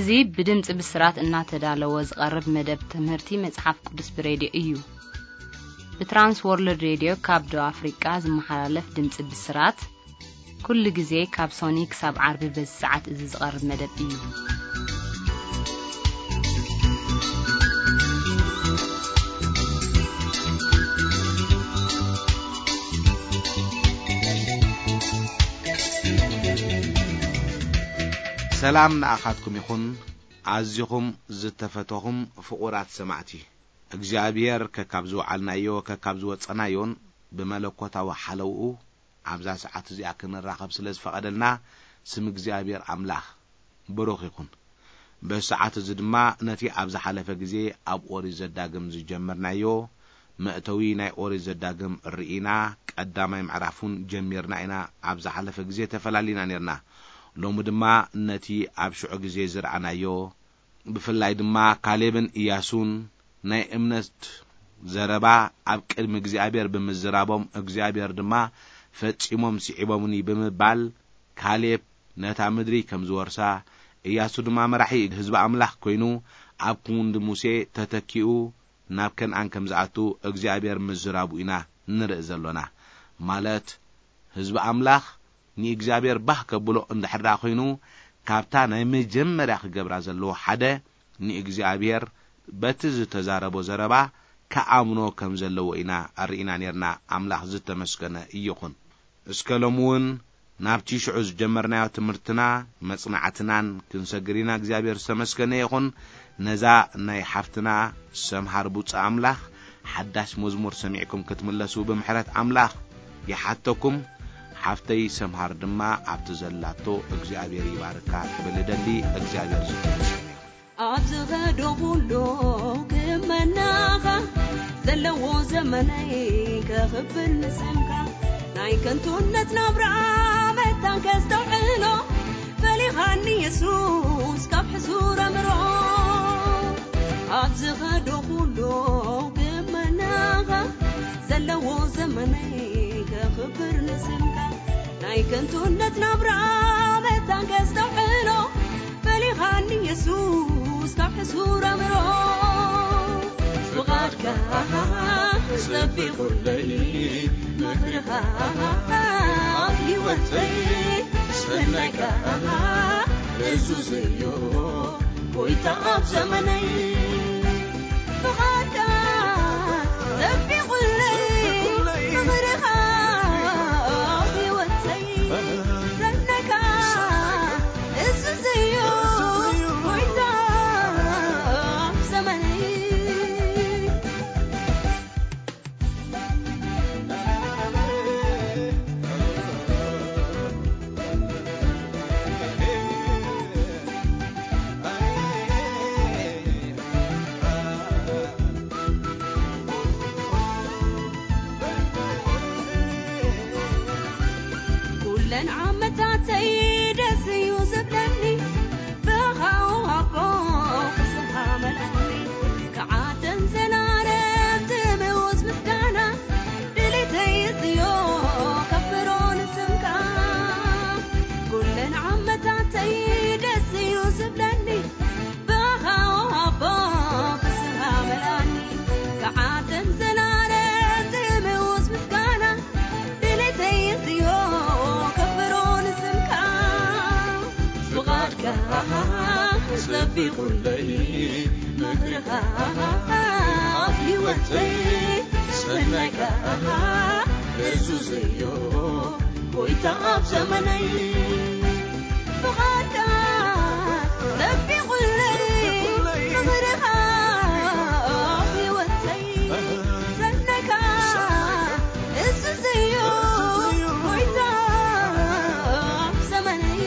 እዚ ብድምጺ ብስራት እናተዳለወ ዝቐርብ መደብ ትምህርቲ መጽሓፍ ቅዱስ ብሬድዮ እዩ። ብትራንስ ወርልድ ሬድዮ ካብ ደቡብ ኣፍሪቃ ዝመሓላለፍ ድምጺ ብስራት፣ ኩሉ ግዜ ካብ ሶኒ ክሳብ ዓርቢ በዚ ሰዓት እዚ ዝቐርብ መደብ እዩ። ሰላም ንኣኻትኩም ይኹን። ኣዚኹም ዝተፈተኹም ፍቑራት ሰማዕቲ፣ እግዚኣብሔር ከካብ ዝወዓልናዮ ከካብ ዝወጸናዮን ብመለኮታዊ ሓለውኡ ኣብዛ ሰዓት እዚኣ ክንራኸብ ስለ ዝፈቐደልና፣ ስም እግዚኣብሔር ኣምላኽ ብሩኽ ይኹን። በዚ ሰዓት እዚ ድማ ነቲ ኣብ ዝሓለፈ ግዜ ኣብ ኦሪት ዘዳግም ዝጀመርናዮ መእተዊ ናይ ኦሪት ዘዳግም ርኢና፣ ቀዳማይ ምዕራፍ እውን ጀሚርና ኢና። ኣብ ዝሓለፈ ግዜ ተፈላሊና ኔርና። ሎሚ ድማ ነቲ ኣብ ሽዑ ግዜ ዝረኣናዮ፣ ብፍላይ ድማ ካሌብን ኢያሱን ናይ እምነት ዘረባ ኣብ ቅድሚ እግዚኣብሔር ብምዝራቦም፣ እግዚኣብሔር ድማ ፈጺሞም ስዒቦምኒ ብምባል፣ ካሌብ ነታ ምድሪ ከም ዝወርሳ፣ ኢያሱ ድማ መራሒ ህዝቢ ኣምላኽ ኮይኑ፣ ኣብ ክንዲ ሙሴ ተተኪኡ ናብ ከነኣን ከም ዝኣቱ እግዚኣብሔር ምዝራቡ ኢና ንርኢ ዘሎና። ማለት ህዝቢ ኣምላኽ ንእግዚኣብሔር ባህ ከብሎ እንድሕር ደኣ ኮይኑ፣ ካብታ ናይ መጀመርያ ክገብራ ዘለዎ ሓደ ንእግዚኣብሔር በቲ ዝተዛረቦ ዘረባ ክኣምኖ ከም ዘለዎ ኢና ርኢና ኔርና። ኣምላኽ ዝተመስገነ ይኹን። እስከ ሎም እውን ናብቲ ሽዑ ዝጀመርናዮ ትምህርትና መጽናዕትናን ክንሰግር ኢና። እግዚኣብሔር ዝተመስገነ ይኹን። ነዛ ናይ ሓፍትና ሰምሃር ቡጻ ኣምላኽ ሓዳሽ መዝሙር ሰሚዕኩም ክትምለሱ ብምሕረት ኣምላኽ ይሓተኩም። ሓፍተይ ሰምሃር ድማ ኣብቲ ዘላቶ እግዚኣብሔር ይባርካ ክብል እደሊ። እግዚኣብሔር ዝተመስገነ ይኹን። ኣብ ዝኸዶ ኩሉ ክመናኻ፣ ዘለዎ ዘመነይ ከኽብር ንስምካ። ናይ ከንቱነት ናብራ መታን ከስተውዕሎ፣ ፈሊኻኒ የሱስ ካብ ሕሱር ኣምሮ። ኣብ ዝኸዶ ኩሉ ክመናኻ፣ ዘለዎ ዘመነይ ከኽብር ንስምካ። ናይ ከንቱነት ናብራ መታን ከስተውዕሎ፣ ፈሊኻኒ የሱስ ካብ ሕሱር ኣምሮ። ፍቓድካ ጸቢቑለይ፣ ምኽርኻ ኣብ ህይወተይ፣ ሰናይካ እዙዘዮ፣ ጎይታ ኣብ ዘመነይ። ፍቓድካ ጸቢቑለይ፣ ምኽርኻ ኣብ ህይወተይ፣ ሰናይካ እዝዝዮ፣ ጎይታ ኣብ ዘመነይ። ኩለን ዓመታተይ ደስ እዩ ዝብለኒ፣ ብኻኡ ኣቦ ስምካ መልኣኒ። ክዓደን ዘላለም ትምውስ ምስጋና፣ ድሌተይ እዝዮ ከፍሮ ንስምካ። ኩለን ዓመታተይ ደስ እዩ ዝብለኒ፣ ብኻኡ ኣቦ ፍስሃ መልኣኒ። ክዓደን ዘላለም ትምውስ ምስጋና፣ ድሌተይ እዝዮ ከፍሮ ንስምካ። ፍቓድካ ጸቢቑለይ፣ ምኽርኻ ኣብ ህይወተይ፣ ሰናይካ እዙዘዮ፣ ጎይታ ኣብ ዘመነይ። ፍቓድካ ጸቢቑለይ፣ ምኽርኻ ኣብ ህይወተይ፣ ሰናይካ እዝዝዮ፣ ጎይታ ኣብ ዘመነይ።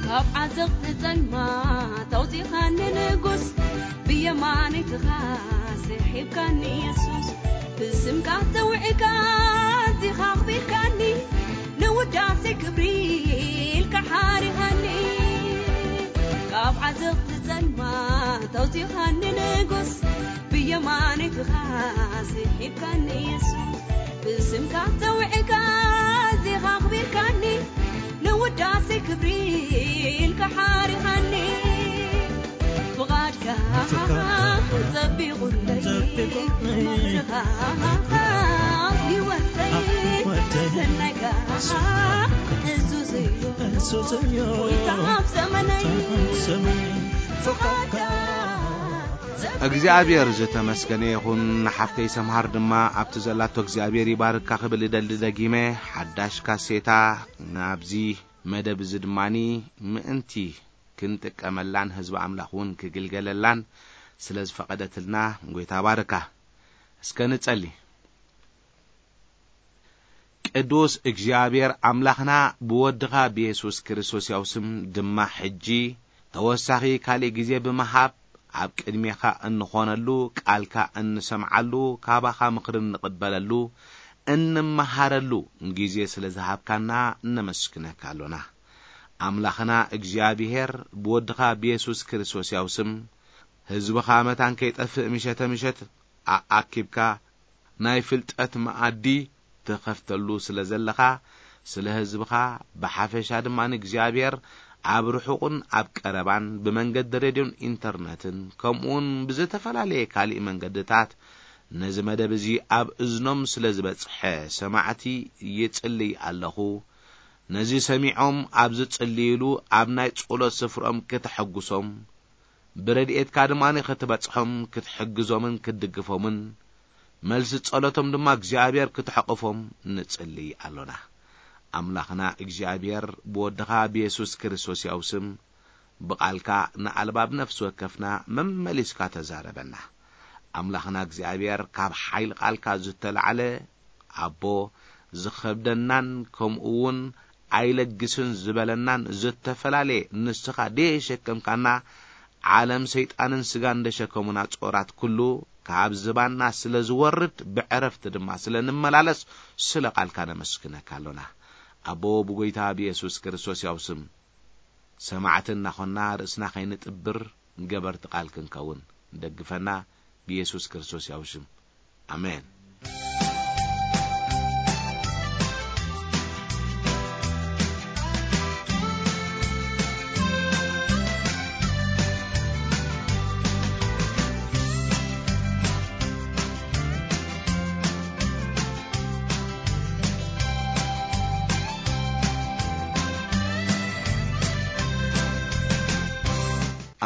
ካብ ዓዘቕቲ ጸልማት ኣውጺኻኒ ንጉስ፣ ብየማነይትኻ ስሒብካኒ የሱስ። ብስምካ ተውዕካ እዚኻ ኣኽቢርካኒ፣ ንውዳሴ ክብሪ ኢልካ ሓሪኻኒ። ካብ ዓዘቕቲ ጸልማት ኣውጺኻኒ ንጉስ፣ ብየማነይትኻ ስሒብካኒ የሱስ። ብስምካ ተውዕካ እዚኻ ኣኽቢርካኒ፣ ንውዳሴ ክብሪ ኢልካ ሓሪኻኒ። ፍቓድካ ጸቢቑለይ፣ ምኽርኻ ህይወተይ፣ ሰናይካ እዙዝ እዩ፣ ጎይታ ኣብ ዘመነይ። ፍቓድካ እግዚኣብሔር ዝተመስገነ ይኹን። ንሓፍተይ ሰምሃር ድማ ኣብቲ ዘላቶ እግዚኣብሔር ይባርካ ክብል እደሊ። ደጊመ ሓዳሽ ካሴታ ናብዚ መደብ እዚ ድማኒ ምእንቲ ክንጥቀመላን ህዝቢ ኣምላኽ እውን ክግልገለላን ስለ ዝፈቐደትልና ጎይታ ባርካ። እስከ ንጸሊ። ቅዱስ እግዚኣብሔር ኣምላኽና ብወድኻ ብየሱስ ክርስቶስ ያው ስም ድማ ሕጂ ተወሳኺ ካልእ ግዜ ብምሃብ ኣብ ቅድሜኻ እንኾነሉ፣ ቃልካ እንሰምዓሉ፣ ካባኻ ምኽሪ እንቕበለሉ፣ እንመሃረሉ ግዜ ስለ ዝሃብካና ነመስግነካ ኣሎና። ኣምላኽና እግዚኣብሔር ብወድኻ ብየሱስ ክርስቶስ ያው ስም ህዝብኻ መታን ከይጠፍእ ምሸተ ምሸት ኣኣኪብካ ናይ ፍልጠት መኣዲ ትኸፍተሉ ስለ ዘለኻ፣ ስለ ህዝብኻ ብሓፈሻ ድማ ንእግዚኣብሔር ኣብ ርሑቕን ኣብ ቀረባን ብመንገዲ ሬድዮን ኢንተርነትን ከምኡውን ብዝተፈላለየ ካሊእ መንገድታት ነዚ መደብ እዚ ኣብ እዝኖም ስለ ዝበጽሐ ሰማዕቲ ይጽልይ ኣለኹ። ነዚ ሰሚዖም ኣብ ዝጽልይሉ ኣብ ናይ ጸሎት ስፍርኦም ክተሐጉሶም፣ ብረድኤትካ ድማ ክትበጽሖም ክትሕግዞምን ክትድግፎምን መልሲ ጸሎቶም ድማ እግዚኣብሔር ክትሕቕፎም ንጽልይ ኣሎና። ኣምላኽና እግዚኣብሔር ብወድኻ ብየሱስ ክርስቶስ ያው ስም ብቓልካ ንኣልባብ ነፍሲ ወከፍና መመሊስካ ተዛረበና። ኣምላኽና እግዚኣብሔር ካብ ሓይሊ ቃልካ ዝተላዕለ ኣቦ ዝኸብደናን ከምኡ እውን ኣይለግስን ዝበለናን ዝተፈላለየ ንስኻ ደየሸከምካና ዓለም ሰይጣንን ስጋን ደሸከሙና ጾራት ኩሉ ካብ ዝባና ስለ ዝወርድ ብዕረፍቲ ድማ ስለ ንመላለስ ስለ ቃልካ ነመስግነካ ኣሎና። ኣቦ ብጎይታ ብየሱስ ክርስቶስ ያው ስም ሰማዕቲ እናኾንና ርእስና ከይንጥብር ገበርቲ ቃል ክንከውን ደግፈና ብየሱስ ክርስቶስ ያው ስም ኣሜን።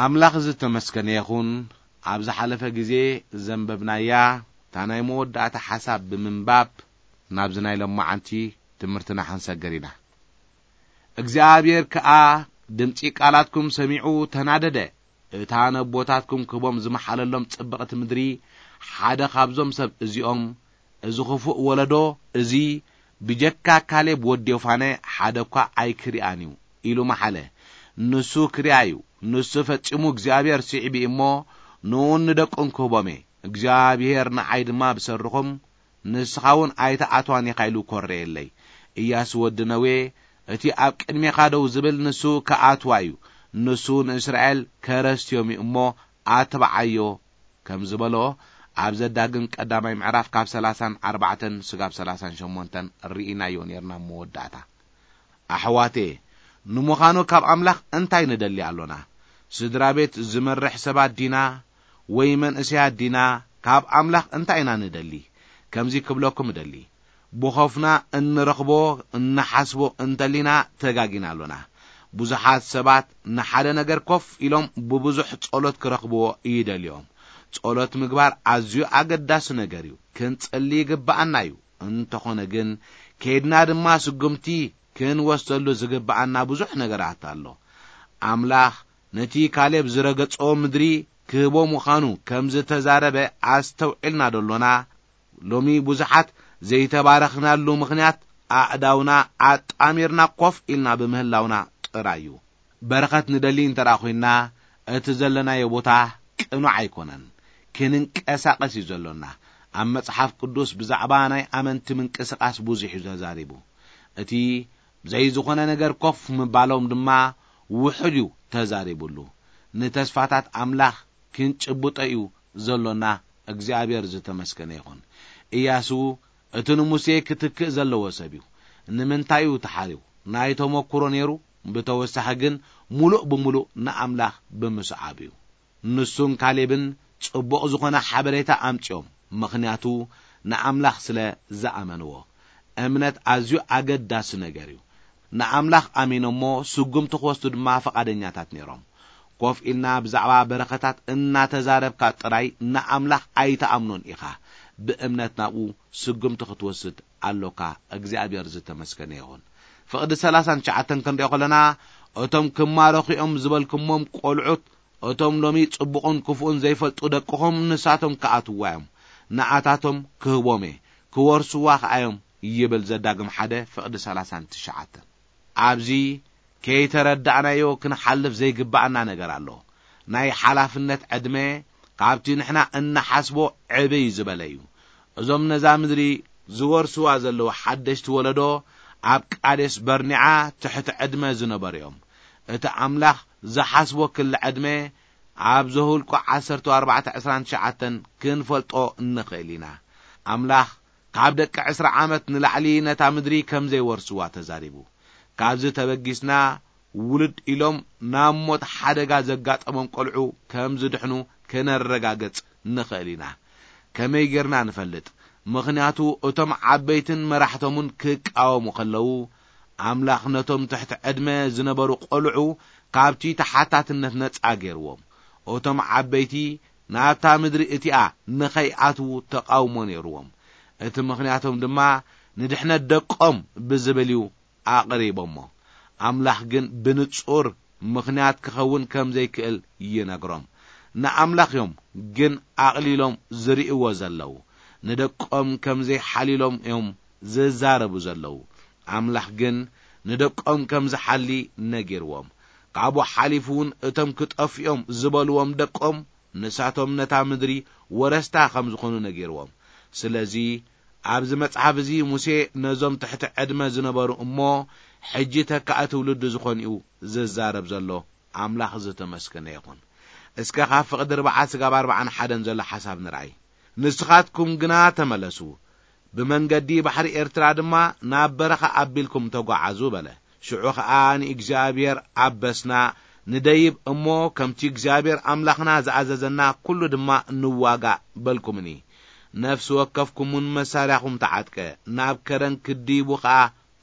ኣምላኽ ዝተመስገነ ይኹን። ኣብ ዝሓለፈ ግዜ ዘንበብናያ እታ ናይ መወዳእታ ሓሳብ ብምንባብ ናብዚ ናይ ሎማዓንቲ ትምህርትና ክንሰግር ኢና። እግዚኣብሔር ከኣ ድምጺ ቃላትኩም ሰሚዑ ተናደደ። እታ ነቦታትኩም ክህቦም ዝመሓለሎም ጽብቕቲ ምድሪ ሓደ ካብዞም ሰብ እዚኦም፣ እዚ ኽፉእ ወለዶ እዚ ብጀካ ካሌብ ወዲ ዮፋነ ሓደ እኳ ኣይክሪኣን እዩ ኢሉ መሓለ። ንሱ ክሪኣ እዩ። ንሱ ፈጺሙ እግዚኣብሔር ስዒቡ እዩ እሞ ንኡን ንደቁን ክህቦም እየ። እግዚኣብሔር ንዓይ ድማ ብሰርኹም ንስኻ እውን ኣይትኣትዋን ኢኻ ኢሉ ኮረየለይ። እያሱ ወዲ ነዌ፣ እቲ ኣብ ቅድሜኻ ደው ዝብል ንሱ ክኣትዋ እዩ። ንሱ ንእስራኤል ከረስትዮም እዩ እሞ ኣትብዓዮ ከም ዝበሎ ኣብ ዘዳግም ቀዳማይ ምዕራፍ ካብ ሰላሳን ኣርባዕተን ስጋብ ሰላሳን ሸሞንተን ርኢናዮ ነርና። መወዳእታ ኣሕዋቴ፣ ንምዃኑ ካብ ኣምላኽ እንታይ ንደሊ ኣሎና? ስድራ ቤት ዝመርሕ ሰባት ዲና ወይ መንእሰያት ዲና? ካብ ኣምላኽ እንታይ ኢና ንደሊ? ከምዚ ክብለኩም እደሊ፣ ብኾፍና እንረኽቦ እንሓስቦ እንተሊና ተጋጊና ኣሎና። ብዙሓት ሰባት ንሓደ ነገር ኮፍ ኢሎም ብብዙሕ ጸሎት ክረኽብዎ ይደልዮም። ጸሎት ምግባር ኣዝዩ ኣገዳሲ ነገር እዩ። ክንጽሊ ይግብኣና እዩ። እንተኾነ ግን ከይድና ድማ ስጉምቲ ክንወስደሉ ዝግብኣና ብዙሕ ነገራት ኣሎ። ኣምላኽ ነቲ ካሌብ ዝረገጾ ምድሪ ክህቦ ምዃኑ ከም ዝተዛረበ ኣስተውዒልና ደሎና? ሎሚ ብዙሓት ዘይተባረኽናሉ ምኽንያት ኣእዳውና ኣጣሚርና ኮፍ ኢልና ብምህላውና ጥራይ እዩ። በረኸት ንደሊ እንተ ደኣ ኾይንና፣ እቲ ዘለናዮ ቦታ ቅኑዕ ኣይኮነን። ክንንቀሳቐስ እዩ ዘሎና። ኣብ መጽሓፍ ቅዱስ ብዛዕባ ናይ ኣመንቲ ምንቅስቓስ ብዙሕ እዩ ተዛሪቡ። እቲ ብዘይ ዝኾነ ነገር ኮፍ ምባሎም ድማ ውሑድ እዩ ተዛሪቡሉ። ንተስፋታት ኣምላኽ ክንጭብጦ እዩ ዘሎና። እግዚኣብሔር ዝተመስገነ ይኹን። ኢያሱ እቲ ንሙሴ ክትክእ ዘለዎ ሰብ እዩ። ንምንታይ እዩ ተሓርዩ? ናይ ተመኩሮ ነይሩ። ብተወሳኺ ግን፣ ምሉእ ብምሉእ ንኣምላኽ ብምስዓብ እዩ። ንሱን ካሌብን ጽቡቕ ዝኾነ ሓበሬታ ኣምጺኦም፣ ምኽንያቱ ንኣምላኽ ስለ ዝኣመንዎ። እምነት ኣዝዩ ኣገዳሲ ነገር እዩ። ንኣምላኽ ኣሚኖሞ ስጉምቲ ክወስዱ ድማ ፍቓደኛታት ነይሮም። ኮፍ ኢልና ብዛዕባ በረኸታት እናተዛረብካ ጥራይ ንኣምላኽ ኣይትኣምኖን ኢኻ። ብእምነት ናብኡ ስጉምቲ ክትወስድ ኣሎካ። እግዚኣብሔር ዝተመስገነ ይኹን። ፍቕዲ ሰላሳን ትሽዓተን ክንሪኦ ከለና፣ እቶም ክማረኹ እዮም ዝበልኩሞም ቆልዑት፣ እቶም ሎሚ ጽቡቕን ክፉእን ዘይፈልጡ ደቅኹም ንሳቶም ክኣትውዋ እዮም። ንኣታቶም ክህቦም እየ፣ ክወርስዋ ከኣ እዮም ይብል ዘዳግም ሓደ ፍቕዲ ሰላሳን ትሽዓተን። ኣብዚ ከይተረዳእናዮ ክንሓልፍ ዘይግባኣና ነገር ኣሎ። ናይ ሓላፍነት ዕድመ ካብቲ ንሕና እንሓስቦ ዕብይ ዝበለ እዩ። እዞም ነዛ ምድሪ ዝወርስዋ ዘለዉ ሓደሽቲ ወለዶ ኣብ ቃዴስ በርኒዓ ትሕቲ ዕድመ ዝነበሩ እዮም። እቲ ኣምላኽ ዝሓስቦ ክሊ ዕድመ ኣብ ዘሁልቁ ዓሰርተ ኣርባዕተ ዕስራን ትሽዓተን ክንፈልጦ እንኽእል ኢና። ኣምላኽ ካብ ደቂ ዕስራ ዓመት ንላዕሊ ነታ ምድሪ ከም ዘይወርስዋ ተዛሪቡ። ካብዚ ተበጊስና ውልድ ኢሎም ናብ ሞት ሓደጋ ዘጋጠሞም ቆልዑ ከም ዝድሕኑ ከነረጋግጽ ንኽእል ኢና። ከመይ ጌርና ንፈልጥ? ምኽንያቱ እቶም ዓበይትን መራሕቶምን ክቃወሙ ከለዉ፣ ኣምላኽ ነቶም ትሕቲ ዕድመ ዝነበሩ ቆልዑ ካብቲ ተሓታትነት ነጻ ገይርዎም። እቶም ዓበይቲ ናብታ ምድሪ እቲኣ ንኸይኣትዉ ተቓውሞ ነይርዎም። እቲ ምኽንያቶም ድማ ንድሕነት ደቆም ብዝብል እዩ ኣቕሪቦሞ። ኣምላኽ ግን ብንጹር ምኽንያት ክኸውን ከም ዘይክእል ይነግሮም። ንኣምላኽ እዮም ግን ኣቕሊሎም ዝርእይዎ ዘለዉ። ንደቆም ከም ዘይሓልዩሎም እዮም ዝዛረቡ ዘለዉ። ኣምላኽ ግን ንደቆም ከም ዝሓሊ ነጊርዎም። ካብኡ ሓሊፉ እውን እቶም ክጠፍኡ እዮም ዝበልዎም ደቆም ንሳቶም ነታ ምድሪ ወረስታ ከም ዝኾኑ ነጊርዎም። ስለዚ ኣብዚ መጽሓፍ እዚ ሙሴ ነዞም ትሕቲ ዕድመ ዝነበሩ እሞ ሕጂ ተካኢ ትውልዲ ዝኾኑ እዩ ዝዛረብ ዘሎ። ኣምላኽ ዝተመስገነ ይኹን። እስከ ካብ ፍቕዲ ርብዓ ስጋብ ኣርብዓን ሓደን ዘሎ ሓሳብ ንርኣይ። ንስኻትኩም ግና ተመለሱ፣ ብመንገዲ ባሕሪ ኤርትራ ድማ ናብ በረኻ ኣቢልኩም ተጓዓዙ በለ። ሽዑ ኸኣ ንእግዚኣብሔር ኣበስና፣ ንደይብ እሞ ከምቲ እግዚኣብሔር ኣምላኽና ዝኣዘዘና ኩሉ ድማ ንዋጋእ በልኩምኒ። ነፍሲ ወከፍኩምውን መሳርያኹም ተዓጥቀ፣ ናብ ከረን ክድይቡ ኸኣ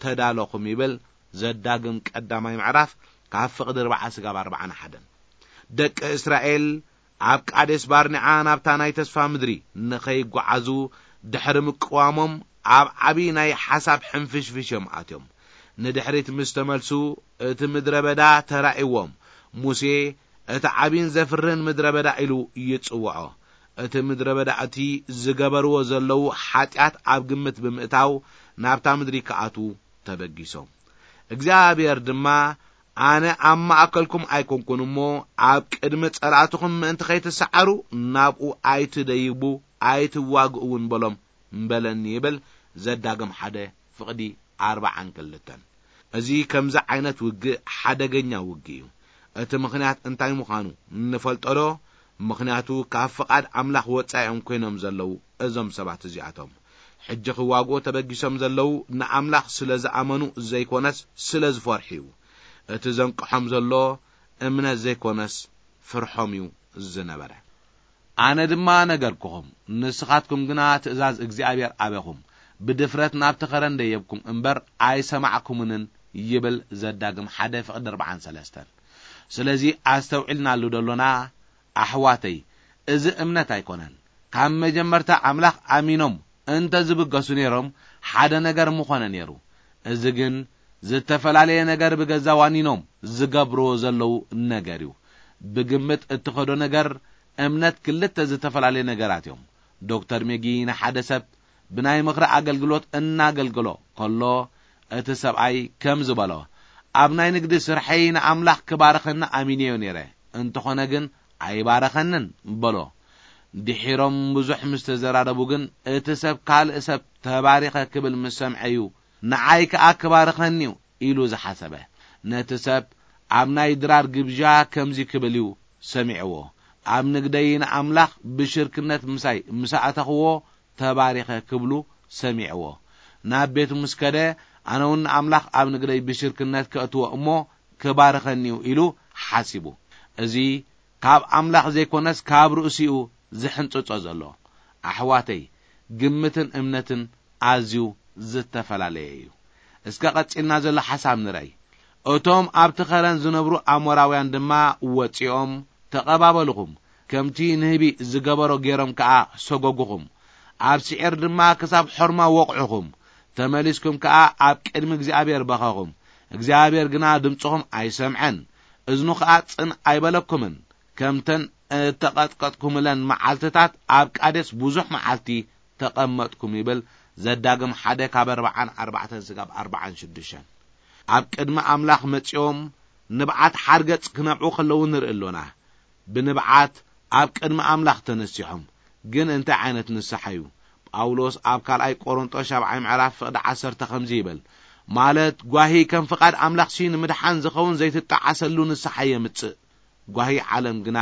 ተዳለኹም ይብል ዘዳግም ቀዳማይ ምዕራፍ ካብ ፍቕዲ ኣርብዓ ስጋብ ኣርብዓን ሓደን። ደቂ እስራኤል ኣብ ቃዴስ ባርኒዓ ናብታ ናይ ተስፋ ምድሪ ንኸይጓዓዙ ድሕሪ ምቅዋሞም ኣብ ዓቢ ናይ ሓሳብ ሕንፍሽፍሽ እዮም ኣትዮም። ንድሕሪት ምስ ተመልሱ እቲ ምድረ በዳ ተራእይዎም። ሙሴ እቲ ዓቢን ዘፍርን ምድረ በዳ ኢሉ ይጽውዖ። እቲ ምድረ በዳ እቲ ዝገበርዎ ዘለዉ ሓጢኣት ኣብ ግምት ብምእታው ናብታ ምድሪ ክኣትዉ ተበጊሶም። እግዚኣብሔር ድማ ኣነ ኣብ ማእከልኩም ኣይኮንኩን እሞ ኣብ ቅድሚ ጸላእትኹም ምእንቲ ከይትሰዓሩ ናብኡ ኣይትደይቡ ኣይትዋግኡ እውን በሎም በለኒ ይብል ዘዳግም ሓደ ፍቕዲ ኣርብዓን ክልተን። እዚ ከምዚ ዓይነት ውግእ ሓደገኛ ውግእ እዩ። እቲ ምኽንያት እንታይ ምዃኑ ንፈልጦ ዶ? ምኽንያቱ ካብ ፍቓድ ኣምላኽ ወጻኢ እዮም ኮይኖም ዘለዉ እዞም ሰባት እዚኣቶም። ሕጂ ክዋግኡ ተበጊሶም ዘለዉ ንኣምላኽ ስለ ዝኣመኑ ዘይኮነስ ስለ ዝፈርሑ እዩ። እቲ ዘንቅሖም ዘሎ እምነት ዘይኮነስ ፍርሖም እዩ ዝነበረ። ኣነ ድማ ነገርኩኹም፣ ንስኻትኩም ግና ትእዛዝ እግዚኣብሔር ኣበኹም፣ ብድፍረት ናብቲ ኸረን ደየብኩም እምበር ኣይሰማዕኩምንን ይብል ዘዳግም ሓደ ፍቕዲ ኣርብዓን ሰለስተን። ስለዚ ኣስተውዒልናሉ ደሎና ኣሕዋተይ፣ እዚ እምነት ኣይኮነን። ካብ መጀመርታ ኣምላኽ ኣሚኖም እንተ ዝብገሱ ነይሮም ሓደ ነገር ምኾነ ነይሩ። እዚ ግን ዝተፈላለየ ነገር ብገዛ ዋኒኖም ዝገብርዎ ዘለዉ ነገር እዩ። ብግምት እትኸዶ ነገር እምነት ክልተ ዝተፈላለየ ነገራት እዮም። ዶክተር ሜጊ ንሓደ ሰብ ብናይ ምኽሪ ኣገልግሎት እናገልገሎ ከሎ እቲ ሰብኣይ ከም ዝበሎ፣ ኣብ ናይ ንግዲ ስርሐይ ንኣምላኽ ክባርኸኒ ኣሚነዮ ነይረ፣ እንተኾነ ግን ኣይባረኸንን በሎ። ድሒሮም ብዙሕ ምስ ተዘራረቡ ግን፣ እቲ ሰብ ካልእ ሰብ ተባሪኸ ክብል ምስ ሰምዐ እዩ፣ ንዓይ ከኣ ክባርኸኒ እዩ ኢሉ ዝሓሰበ። ነቲ ሰብ ኣብ ናይ ድራር ግብዣ ከምዚ ክብል እዩ ሰሚዕዎ፣ ኣብ ንግደይ ንኣምላኽ ብሽርክነት ምሳይ ምስ ኣእተኽዎ ተባሪኸ ክብሉ ሰሚዕዎ። ናብ ቤቱ ምስ ከደ፣ ኣነ እውን ንኣምላኽ ኣብ ንግደይ ብሽርክነት ከእትዎ እሞ ክባርኸኒ እዩ ኢሉ ሓሲቡ። እዚ ካብ ኣምላኽ ዘይኮነስ ካብ ርእሲኡ ዝሕንጽጾ ዘሎ። ኣሕዋተይ፣ ግምትን እምነትን ኣዝዩ ዝተፈላለየ እዩ። እስከ ቀጺልና ዘሎ ሓሳብ ንርኣይ። እቶም ኣብቲ ኸረን ዝነብሩ ኣሞራውያን ድማ ወጺኦም ተቐባበልኹም፣ ከምቲ ንህቢ ዝገበሮ ገይሮም ከኣ ሰጎጉኹም። ኣብ ስዔር ድማ ክሳብ ሖርማ ወቕዑኹም። ተመሊስኩም ከኣ ኣብ ቅድሚ እግዚኣብሔር በኸኹም። እግዚኣብሔር ግና ድምጽኹም ኣይሰምዐን፣ እዝኑ ከኣ ጽን ኣይበለኩምን። ከምተን እተቐጥቀጥኩምለን መዓልትታት ኣብ ቃዴስ ብዙሕ መዓልቲ ተቐመጥኩም ይብል። ዘዳግም ሓደ ካብ ኣርብዓን ኣርባዕተን ስጋብ ኣርብዓን ሽዱሽተን። ኣብ ቅድሚ ኣምላኽ መጺኦም ንብዓት ሓርገጽ ክነብዑ ከለዉ ንርኢ ኣሎና። ብንብዓት ኣብ ቅድሚ ኣምላኽ ተነሲሖም። ግን እንታይ ዓይነት ንስሓ እዩ? ጳውሎስ ኣብ ካልኣይ ቆሮንጦስ ሻብዓይ ምዕራፍ ፍቕዲ ዓሰርተ ከምዚ ይብል፣ ማለት ጓሂ ከም ፍቓድ ኣምላኽሲ ንምድሓን ዝኸውን ዘይትጠዓሰሉ ንስሓ የምጽእ። ጓሂ ዓለም ግና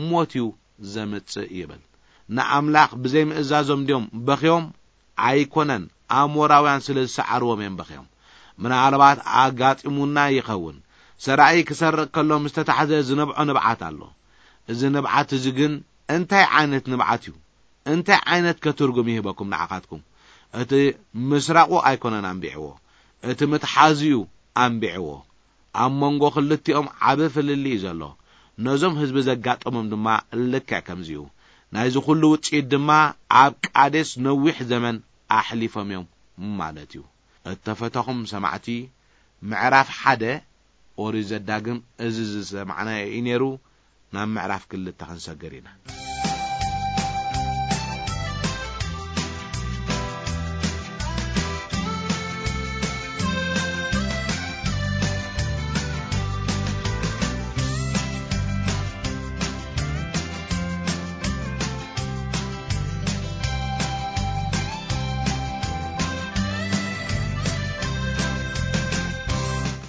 ሞት እዩ ዘምጽእ ይብል። ንኣምላኽ ብዘይምእዛዞም ድዮም በኽዮም? ኣይኮነን፣ ኣሞራውያን ስለ ዝሰዓርዎም እዮም በኽዮም። ምናልባት ኣጋጢሙና ይኸውን። ሰራኢ ክሰርቕ ከሎ ምስ ተታሕዘ ዝነብዖ ንብዓት ኣሎ። እዚ ንብዓት እዚ ግን እንታይ ዓይነት ንብዓት እዩ? እንታይ ዓይነት ከ ትርጉም ይህበኩም ንዓኻትኩም? እቲ ምስራቑ ኣይኮነን ኣንቢዕዎ፣ እቲ ምትሓዙ እዩ ኣንቢዕዎ። ኣብ መንጎ ክልቲኦም ዓቢ ፍልልይ እዩ ዘሎ። ነዞም ህዝቢ ዘጋጠሞም ድማ ልክዕ ከምዚ እዩ። ናይዚ ኩሉ ውጽኢት ድማ ኣብ ቃዴስ ነዊሕ ዘመን ኣሕሊፎም እዮም ማለት እዩ። እተፈተኹም ሰማዕቲ፣ ምዕራፍ ሓደ ኦሪት ዘዳግም እዚ ዝሰማዕናዮ እዩ ነይሩ። ናብ ምዕራፍ ክልተ ክንሰግር ኢና።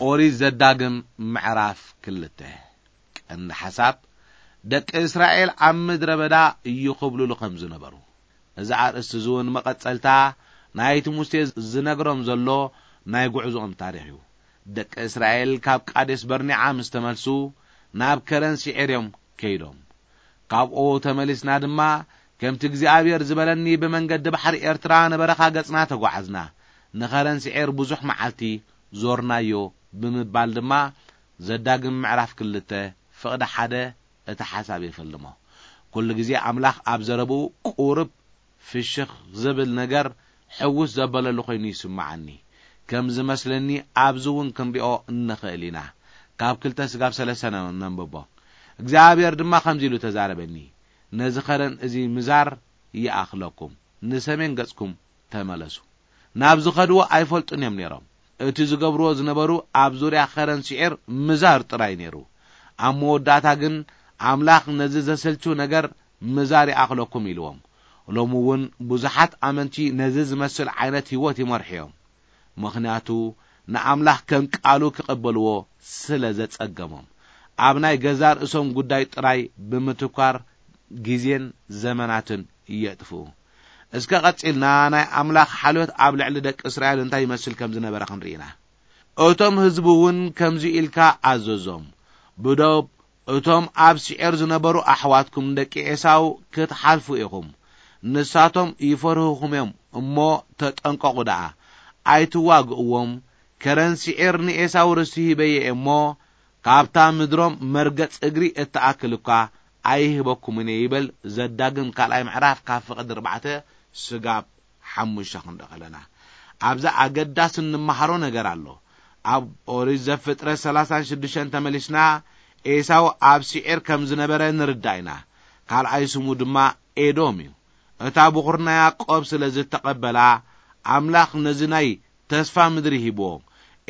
ኦሪት ዘዳግም ምዕራፍ ክልተ። ቀንዲ ሓሳብ፣ ደቂ እስራኤል ኣብ ምድረ በዳ ይኹብልሉ ከም ዝነበሩ። እዚ ኣርእስቲ እዚ እውን መቐጸልታ ናይቲ ሙሴ ዝነግሮም ዘሎ ናይ ጉዕዞኦም ታሪኽ እዩ። ደቂ እስራኤል ካብ ቃዴስ በርኒዓ ምስ ተመልሱ፣ ናብ ከረን ሲዔር እዮም ከይዶም። ካብኡ ተመሊስና ድማ፣ ከምቲ እግዚኣብሔር ዝበለኒ ብመንገዲ ባሕሪ ኤርትራ ንበረኻ ገጽና ተጓዓዝና። ንኸረን ሲዔር ብዙሕ መዓልቲ ዞርናዮ ብምባል ድማ ዘዳግም ምዕራፍ ክልተ ፍቕዲ ሓደ እቲ ሓሳብ የፈልሞ። ኩሉ ግዜ ኣምላኽ ኣብ ዘረብኡ ቁሩብ ፍሽኽ ዝብል ነገር ሕውስ ዘበለሉ ኮይኑ ይስምዓኒ። ከም ዝመስለኒ ኣብዚ እውን ክንሪኦ እንኽእል ኢና። ካብ ክልተ ስጋብ ሰለስተ ነ-፣ ነንብቦ። እግዚኣብሔር ድማ ከምዚ ኢሉ ተዛረበኒ፣ "ነዚ ኸረን እዚ ምዛር ይኣኽለኩም፣ ንሰሜን ገጽኩም ተመለሱ።" ናብ ዝኸድዎ ኣይፈልጡን እዮም ነይሮም። እቲ ዝገብርዎ ዝነበሩ ኣብ ዙርያ ኸረን ሲዒር ምዛር ጥራይ ነይሩ። ኣብ መወዳእታ ግን ኣምላኽ ነዚ ዘሰልቹ ነገር ምዛር ይኣኽለኩም ኢልዎም። ሎሚ እውን ብዙሓት ኣመንቲ ነዚ ዝመስል ዓይነት ህይወት ይመርሑ እዮም። ምኽንያቱ ንኣምላኽ ከም ቃሉ ክቕበልዎ ስለ ዘጸገሞም፣ ኣብ ናይ ገዛ ርእሶም ጉዳይ ጥራይ ብምትኳር ግዜን ዘመናትን የጥፍኡ። እስከ ቀጺልና ናይ ኣምላኽ ሓልዮት ኣብ ልዕሊ ደቂ እስራኤል እንታይ ይመስል ከም ዝነበረ ክንርኢ ኢና። እቶም ህዝቢ እውን ከምዚ ኢልካ ኣዘዞም፣ "ብዶብ እቶም ኣብ ሲዔር ዝነበሩ ኣሕዋትኩም ደቂ ኤሳው ክትሓልፉ ኢኹም። ንሳቶም ይፈርህኹም እዮም እሞ ተጠንቀቑ ደኣ። ኣይትዋግእዎም። ከረን ሲዔር ንኤሳው ርስቲ ሂበዮ እየ እሞ፣ ካብታ ምድሮም መርገጽ እግሪ እትኣክል እኳ ኣይህበኩምን እየ" ይበል። ዘዳግም ካልኣይ ምዕራፍ ካብ ፍቕዲ ኣርባዕተ ስጋብ ሓሙሽተ ክንርኢ ከለና፣ ኣብዚ ኣገዳሲ እንመሃሮ ነገር ኣሎ። ኣብ ኦሪት ዘፍጥረት ሰላሳን ሽዱሽተን ተመሊስና፣ ኤሳው ኣብ ሲዔር ከም ዝነበረ ንርዳእ ኢና። ካልኣይ ስሙ ድማ ኤዶም እዩ። እታ ብኹር ናይ ያዕቆብ ስለ ዝተቐበላ፣ ኣምላኽ ነዚ ናይ ተስፋ ምድሪ ሂብዎ።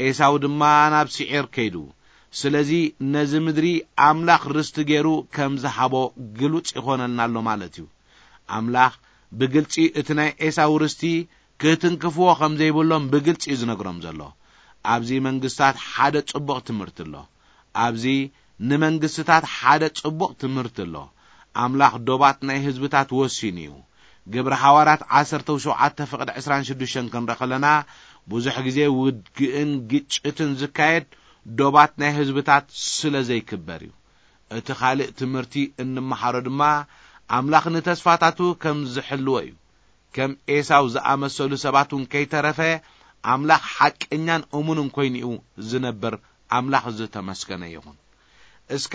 ኤሳው ድማ ናብ ሲዔር ከይዱ። ስለዚ ነዚ ምድሪ ኣምላኽ ርስቲ ገይሩ ከም ዝሃቦ ግሉጽ ይኾነልና ኣሎ ማለት እዩ። ኣምላኽ ብግልጺ እቲ ናይ ኤሳው ርስቲ ክትንክፍዎ ከም ዘይብሎም ብግልጺ እዩ ዝነግሮም ዘሎ። ኣብዚ መንግስታት ሓደ ጽቡቕ ትምህርቲ ኣሎ። ኣብዚ ንመንግስትታት ሓደ ጽቡቕ ትምህርቲ ኣሎ። ኣምላኽ ዶባት ናይ ህዝብታት ወሲኑ እዩ። ግብሪ ሃዋርያት ዓሰርተ ሸውዓተ ፍቕዲ ዕስራን ሽዱሽተን ክንርኢ ከለና፣ ብዙሕ ግዜ ውግእን ግጭትን ዝካየድ ዶባት ናይ ህዝብታት ስለ ዘይክበር እዩ። እቲ ካልእ ትምህርቲ እንመሃሮ ድማ፣ ኣምላኽ ንተስፋታቱ ከም ዝሕልዎ እዩ። ከም ኤሳው ዝኣመሰሉ ሰባት እውን ከይተረፈ፣ ኣምላኽ ሓቀኛን እሙንን ኮይኑ እዩ ዝነብር። ኣምላኽ ዝተመስገነ ይኹን። እስከ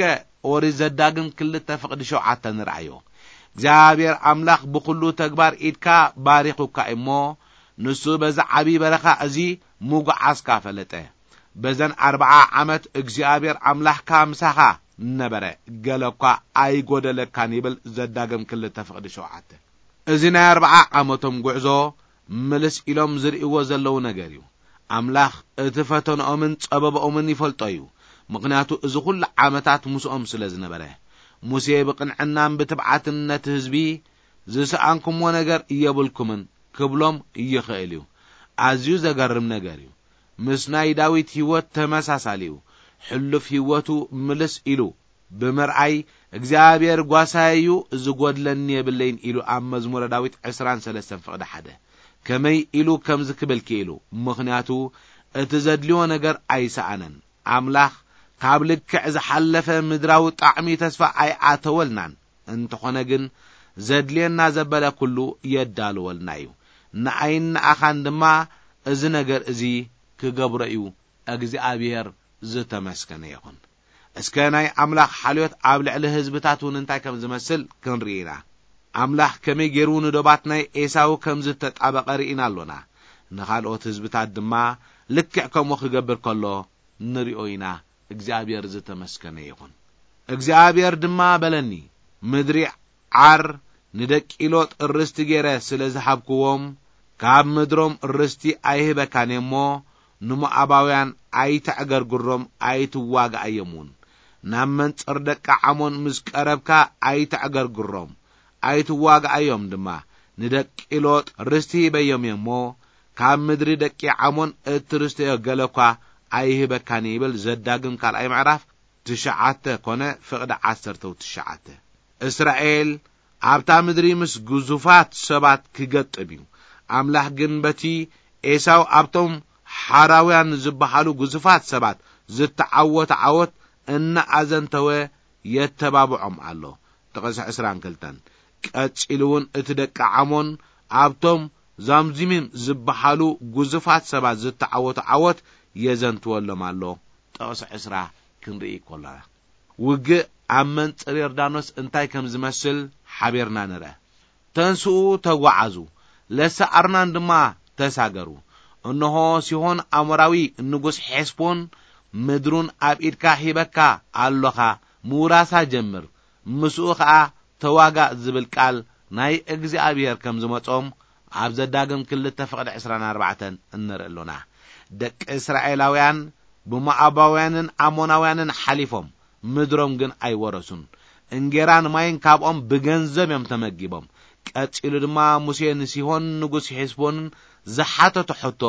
ኦሪት ዘዳግም ክልተ ፍቕዲ ሸውዓተ ንርኣዮ። እግዚኣብሔር ኣምላኽ ብኹሉ ተግባር ኢድካ ባሪኹካ እሞ፣ ንሱ በዚ ዓብዪ በረኻ እዚ ምጉዓዝካ ፈለጠ። በዘን ኣርብዓ ዓመት እግዚኣብሔር ኣምላኽካ ምሳኻ ነበረ፣ ገለ እኳ ኣይጎደለካን ይብል ዘዳግም ክልተ ፍቕዲ ሸውዓተ። እዚ ናይ ኣርብዓ ዓመቶም ጉዕዞ ምልስ ኢሎም ዝርእይዎ ዘለዉ ነገር እዩ። ኣምላኽ እቲ ፈተንኦምን ጸበባኦምን ይፈልጦ እዩ። ምኽንያቱ እዚ ኹሉ ዓመታት ምስኦም ስለ ዝነበረ። ሙሴ ብቕንዕናን ብትብዓትን ነቲ ህዝቢ፣ "ዝሰኣንኩምዎ ነገር የብልኩምን" ክብሎም ይኽእል እዩ። ኣዝዩ ዘገርም ነገር እዩ። ምስ ናይ ዳዊት ህይወት ተመሳሳሊ እዩ። ሕሉፍ ህይወቱ ምልስ ኢሉ ብምርኣይ፣ "እግዚኣብሔር ጓሳይ እዩ፣ ዝጎድለኒ የብለይን" ኢሉ ኣብ መዝሙረ ዳዊት ዕስራን ሰለስተን ፍቕዲ ሓደ። ከመይ ኢሉ ከምዚ ክብል ክኢሉ? ምኽንያቱ እቲ ዘድልዮ ነገር ኣይሰኣነን። ኣምላኽ ካብ ልክዕ ዝሓለፈ ምድራዊ ጣዕሚ ተስፋ ኣይኣተወልናን። እንተኾነ ግን፣ ዘድልየና ዘበለ ኩሉ የዳልወልና እዩ። ንኣይን ንኣኻን ድማ እዚ ነገር እዚ ክገብሮ እዩ። እግዚኣብሔር ዝተመስገነ ይኹን። እስከ ናይ ኣምላኽ ሓልዮት ኣብ ልዕሊ ህዝብታት እውን እንታይ ከም ዝመስል ክንርኢ ኢና። ኣምላኽ ከመይ ገይሩ ንዶባት ናይ ኤሳው ከም ዝተጣበቐ ርኢና ኣሎና። ንኻልኦት ህዝብታት ድማ ልክዕ ከምኡ ክገብር ከሎ ንሪኦ ኢና። እግዚኣብሔር ዝተመስገነ ይኹን። እግዚኣብሔር ድማ በለኒ፣ "ምድሪ ዓር ንደቂ ሎጥ ርስቲ ገይረ ስለ ዝሃብክዎም፣ ካብ ምድሮም ርስቲ ኣይህበካን እየ እሞ፣ ንሞኣባውያን ኣይተዕገርግሮም፣ ኣይትዋግኣዮም እውን። ናብ መንጽር ደቂ ዓሞን ምስ ቀረብካ ኣይተዕገርግሮም፣ ኣይትዋግኣዮም ድማ። ንደቂ ሎጥ ርስቲ ሂበዮም እየ እሞ፣ ካብ ምድሪ ደቂ ዓሞን እትርስተዮ ገለ እኳ ኣይህበካን እየ" ይብል ዘዳግም ካልኣይ ምዕራፍ ትሽዓተ ኮነ ፍቕዲ ዓሰርተው ትሽዓተ። እስራኤል ኣብታ ምድሪ ምስ ግዙፋት ሰባት ክገጥም እዩ። ኣምላኽ ግን በቲ ኤሳው ኣብቶም ሓራውያን ዝበሃሉ ግዙፋት ሰባት ዝተዓወተ ዓወት እናኣዘንተወ የተባብዖም ኣሎ። ጥቕሲ ዕስራን ክልተን። ቀጺሉ እውን እቲ ደቂ ዓሞን ኣብቶም ዛምዚሚም ዝበሃሉ ግዙፋት ሰባት ዝተዓወቱ ዓወት የዘንትወሎም ኣሎ። ጥቕሲ ዕስራ ክንርኢ ከለና፣ ውግእ ኣብ መንጽር ዮርዳኖስ እንታይ ከም ዝመስል ሓቢርና ንርአ። "ተንስኡ፣ ተጓዓዙ፣ ለሰ ኣርናን ድማ ተሳገሩ። እንሆ፣ ሲሆን ኣሞራዊ ንጉስ ሔስቦን ምድሩን ኣብ ኢድካ ሂበካ ኣሎኻ፣ ምውራሳ ጀምር፣ ምስኡ ኸኣ ተዋጋእ" ዝብል ቃል ናይ እግዚኣብሔር ከም ዝመጾም ኣብ ዘዳግም ክልተ ፍቕዲ ዕስራን ኣርባዕተን እንርኢ ኣሎና። ደቂ እስራኤላውያን ብሞዓባውያንን ኣሞናውያንን ሓሊፎም፣ ምድሮም ግን ኣይወረሱን። እንጌራን ማይን ካብኦም ብገንዘብ እዮም ተመጊቦም። ቀጺሉ ድማ ሙሴ ንሲሆን ንጉስ ሔስቦንን ዝሓተቶ ሕቶ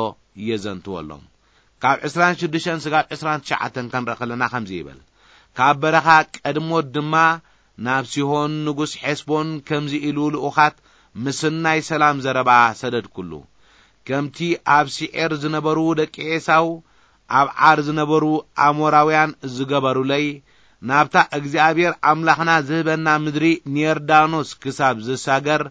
የዘንትወሎም። ካብ ዕስራን ሽዱሽተን ስጋብ ዕስራን ትሽዓተን ከንርኢ ከለና ከምዚ ይብል፣ "ካብ በረኻ ቀድሞት ድማ ናብ ሲሆን ንጉስ ሔስቦን ከምዚ ኢሉ ልኡኻት ምስናይ ሰላም ዘረባ ሰደድኩሉ። ከምቲ ኣብ ሲዔር ዝነበሩ ደቂ ኤሳው፣ ኣብ ዓር ዝነበሩ ኣሞራውያን ዝገበሩለይ፣ ናብታ እግዚኣብሔር ኣምላኽና ዝህበና ምድሪ ንዮርዳኖስ ክሳብ ዝሳገር፣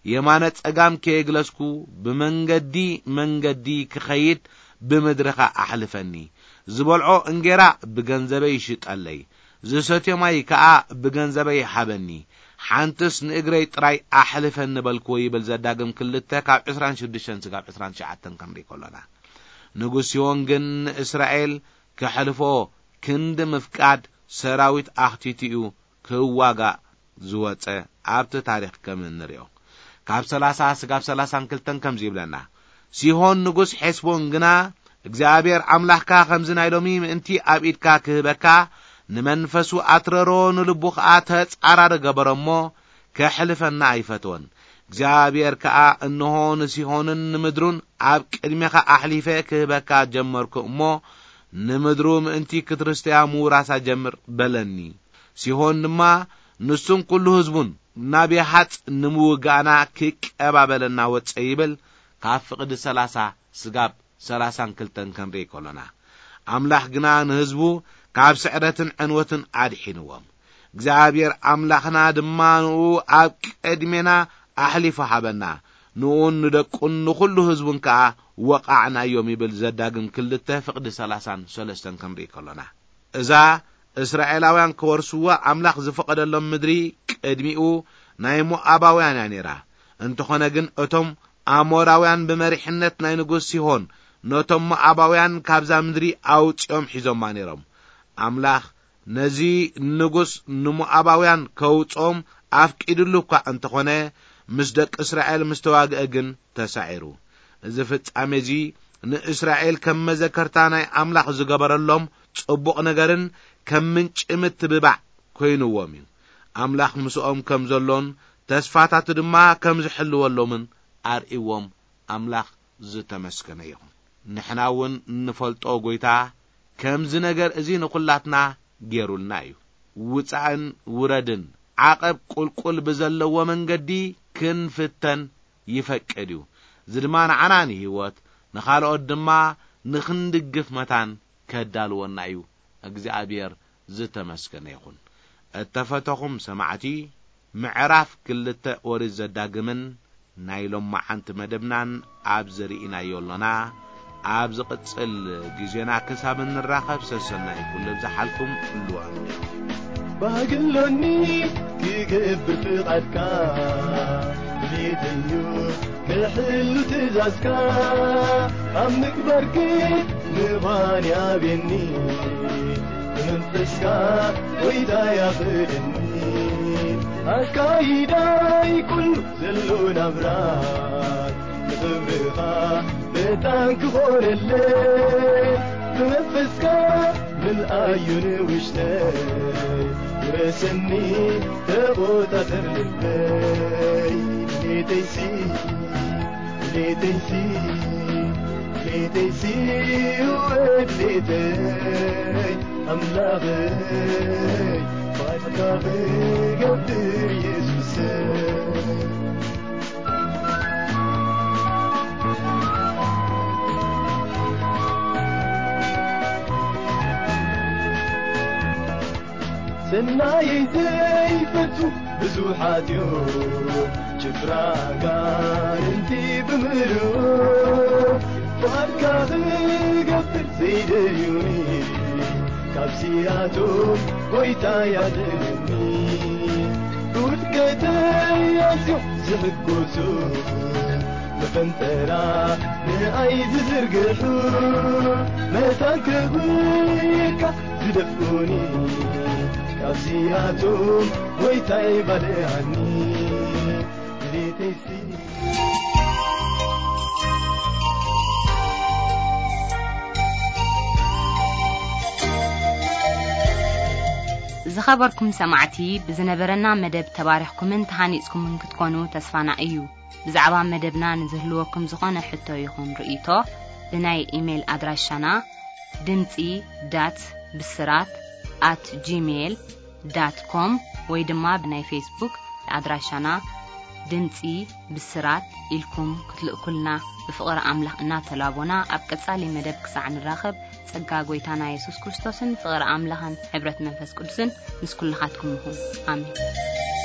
የማነ ጸጋም ከየግለስኩ ብመንገዲ መንገዲ ክኸይድ ብምድርኻ ኣሕልፈኒ። ዝበልዖ እንጌራ ብገንዘበይ ይሽጠለይ፣ ዝሰትዮ ማይ ከኣ ብገንዘበይ ሃበኒ። ሓንትስ ንእግረይ ጥራይ ኣሕልፈኒ በልክዎ" ይብል ዘዳግም ክልተ ካብ ዕስራን ሽዱሽተን ስጋብ ዕስራን ትሽዓተን ክንርኢ ከሎና። ንጉስ ሲሆን ግን ንእስራኤል ከሕልፎ ክንዲ ምፍቃድ ሰራዊት ኣኽቲቱ እዩ ክዋጋእ ዝወጸ ኣብቲ ታሪኽ ከም እንርእዮ። ካብ ሰላሳ ስጋብ ሰላሳን ክልተን ከምዚ ይብለና፣ "ሲሆን ንጉስ ሔስቦን ግና እግዚኣብሔር ኣምላኽካ ከምዚ ናይ ሎሚ ምእንቲ ኣብ ኢድካ ክህበካ ንመንፈሱ ኣትረሮ፣ ንልቡ ኸኣ ተጻራሪ ገበሮ እሞ ከሕልፈና ኣይፈትወን። እግዚኣብሔር ከኣ፣ "እንሆ፣ ንሲሆንን ንምድሩን ኣብ ቅድሜኻ ኣሕሊፈ ክህበካ ጀመርኩ እሞ፣ ንምድሩ ምእንቲ ክትርስተያ ምውራሳ ጀምር" በለኒ። ሲሆን ድማ፣ "ንሱን ኩሉ ህዝቡን ናብ ያሃጽ ንምውጋእና ክቀባበለና ወጸ" ይብል፣ ካብ ፍቕዲ ሰላሳ ስጋብ ሰላሳን ክልተን ክንርኢ ከሎና፣ ኣምላኽ ግና ንህዝቡ ካብ ስዕረትን ዕንወትን ኣድሒንዎም። እግዚኣብሔር ኣምላኽና ድማ ንኡ ኣብ ቅድሜና ኣሕሊፉ ሃበና። ንኡን ንደቁን ንኹሉ ህዝቡን ከኣ ወቓዕናዮም ይብል ዘዳግም ክልተ ፍቕዲ ሰላሳን ሰለስተን ክንርኢ ከሎና። እዛ እስራኤላውያን ክወርስዋ ኣምላኽ ዝፈቐደሎም ምድሪ ቅድሚኡ ናይ ሞኣባውያን እያ ነይራ። እንተኾነ ግን እቶም ኣሞራውያን ብመሪሕነት ናይ ንጉስ ሲሆን ነቶም ሞኣባውያን ካብዛ ምድሪ ኣውጺኦም ሒዞማ ነይሮም። ኣምላኽ ነዚ ንጉስ ንሞኣባውያን ከውጽኦም ኣፍቂድሉ እኳ እንተኾነ፣ ምስ ደቂ እስራኤል ምስ ተዋግአ ግን ተሳዒሩ። እዚ ፍጻሜ እዚ ንእስራኤል ከም መዘከርታ ናይ ኣምላኽ ዝገበረሎም ጽቡቕ ነገርን ከም ምንጪ ምትብባዕ ኮይንዎም እዩ። ኣምላኽ ምስኦም ከም ዘሎን ተስፋታቱ ድማ ከም ዝሕልወሎምን ኣርእይዎም። ኣምላኽ ዝተመስገነ ይኹን። ንሕና እውን እንፈልጦ ጐይታ ከምዚ ነገር እዚ ንኹላትና ገይሩልና እዩ። ውጻእን ውረድን፣ ዓቐብ ቁልቁል ብዘለዎ መንገዲ ክንፍተን ይፈቅድ እዩ። እዚ ድማ ንዓና ንህይወት፣ ንኻልኦት ድማ ንኽንድግፍ መታን ከዳልወና እዩ። እግዚኣብሔር ዝተመስገነ ይኹን። እተፈተኹም ሰማዕቲ፣ ምዕራፍ ክልተ ኦሪት ዘዳግምን ናይ ሎማዓንቲ መደብናን ኣብ ዘርኢናዮ ኣሎና። ኣብ ዝቕጽል ግዜና ክሳብ እንራኸብ ሰሰናይ ኩሉ ብዝሓልኩም ህልዋ። ባህግሎኒ ክገብር ፍቓድካ፣ ድሌተዩ ክሕሉ ትእዛዝካ፣ ኣብ ምግባር ግን ምዃን ያብየኒ። ብመንፈስካ ጎይታ ያኽእለኒ። ኣካይዳይ ኩሉ ዘሎ ናብራይ ንኽብርኻ መታን ክኾነለይ። ብመንፈስካ ምልኣዩ ንውሽጠይ፣ ውረሰኒ ተቖጻጸር ልበይ። ድሌተይሲ፣ ድሌተይሲ፣ ድሌተይሲ፣ ወድሌተይ ኣምላኸይ፣ ባዕልካ ክገብር የሱሰይ። ሰናየይ ዘይፈቱ ብዙሓት እዮም፣ ጭፍራ ኣጋንንቲ ብምልኡ፣ ፍቓድካ ክገብር ዘይደልዩኒ፣ ካብዚኣቶም ጎይታ ያድነኒ። ብውድቀተይ ኣዝዮም ዝሕጎሱ፣ መፈንጠራ ንኣይ ዝዝርግሑ፣ መታን ከጉየካ ዝደፍኡኒ፣ ካብዚኣቶም ጎይታይ ባልዓኒ። ድሌተይሲ። ዝኸበርኩም ሰማዕቲ፣ ብዝነበረና መደብ ተባሪኽኩምን ተሃኒጽኩምን ክትኮኑ ተስፋና እዩ። ብዛዕባ መደብና ንዝህልወኩም ዝኾነ ሕቶ ይኹን ርእይቶ፣ ብናይ ኢሜይል ኣድራሻና ድምጺ ዳት ብስራት ኣት ጂሜይል ዳት ኮም ወይ ድማ ብናይ ፌስቡክ ኣድራሻና ድምጺ ብስራት ኢልኩም ክትልእኩልና ብፍቕሪ ኣምላኽ እናተላቦና፣ ኣብ ቀጻሊ መደብ ክሳዕ ንራኸብ፣ ጸጋ ጐይታና የሱስ ክርስቶስን ፍቕሪ ኣምላኽን ሕብረት መንፈስ ቅዱስን ምስ ኩልኻትኩም ይኹን። ኣሜን።